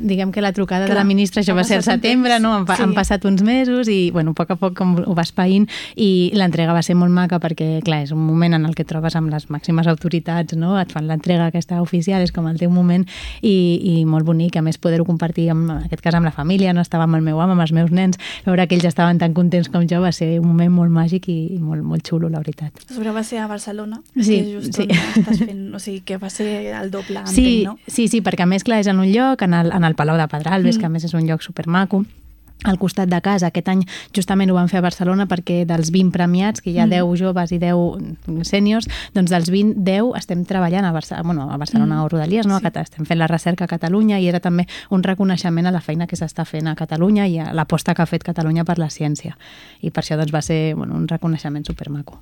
Diguem que la trucada de la ministra, això va ser al setembre, no? Han passat uns mesos i, bueno, a poc com ho vas païnt, i l'entrega va ser molt maca perquè, clar, és un moment en el que trobes amb les màximes autoritats, no? Et fan l'entrega aquesta oficial, és com el teu moment, i molt bonic, a més poder-ho compartir, en aquest cas amb la família, no? Estava amb el meu home, amb els meus nens, veure que ells estaven tan contents com jo va ser un moment molt màgic i molt, molt xulo, la veritat. A sobre va ser a Barcelona, sí, que just on estàs fent, o sigui, que va ser el doble, sí, entenc, no? Sí, perquè a més, clar, és en un lloc, en el Palau de Pedralbes, que a més és un lloc supermaco, al costat de casa. Aquest any justament ho vam fer a Barcelona perquè dels 20 premiats, que hi ha 10 joves i 10 sèniors, doncs dels 20, 10 estem treballant a Barcelona o Rodalies, no? Estem fent la recerca a Catalunya i era també un reconeixement a la feina que s'està fent a Catalunya i a l'aposta que ha fet Catalunya per la ciència. I per això doncs, va ser un reconeixement supermaco.